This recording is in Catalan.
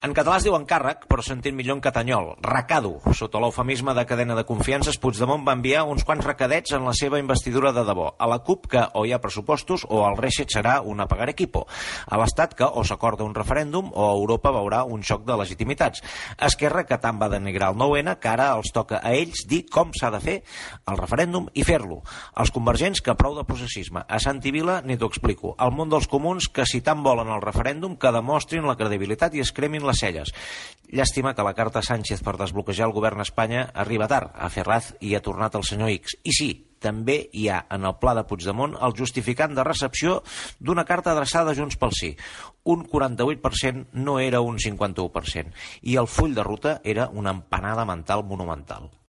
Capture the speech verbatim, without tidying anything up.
En català es diu encàrrec, però s'entén millor en catanyol. Recado. Sota l'eufemisme de cadena de confiances, Puigdemont va enviar uns quants recadets en la seva investidura de debò. A la CUP, que o hi ha pressupostos o el Reset serà una pagar equipo. A l'Estat, que o s'acorda un referèndum o Europa veurà un xoc de legitimitats. Esquerra, que tant va denigrar el nou ene, que ara els toca a ells dir com s'ha de fer el referèndum i fer-lo. Els convergents, que prou de processisme. A Santi Vila, ni t'ho explico. El món dels comuns, que si tant volen el referèndum, que demostrin la credibilitat i es cremin les celles. Llàstima que la carta Sánchez per desbloquejar el govern a Espanya arriba tard, a Ferraz, i ha tornat el senyor X. I sí, també hi ha en el pla de Puigdemont el justificant de recepció d'una carta adreçada a Junts pel Sí. Un quaranta-vuit per cent no era un cinquanta-u per cent. I el full de ruta era una empanada mental monumental.